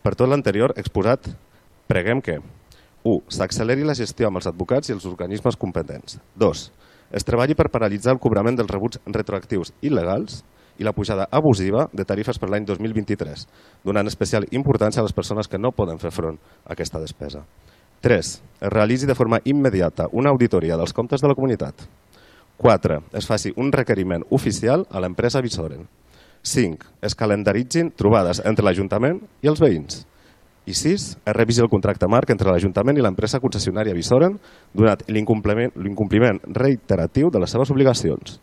Per tot l'anterior exposat, preguem que 1. S'acceleri la gestió amb els advocats i els organismes competents. 2. Es treballi per paralitzar el cobrament dels rebuts retroactius il·legals i la pujada abusiva de tarifes per l'any 2023, donant especial importància a les persones que no poden fer front a aquesta despesa. 3. Es realitzi de forma immediata una auditoria dels comptes de la comunitat. 4. Es faci un requeriment oficial a l'empresa Visoren. 5. Es calendaritzin trobades entre l'Ajuntament i els veïns. I 6. Es revisi el contracte marc entre l'Ajuntament i l'empresa concessionària Visoren, donat l'incompliment reiteratiu de les seves obligacions.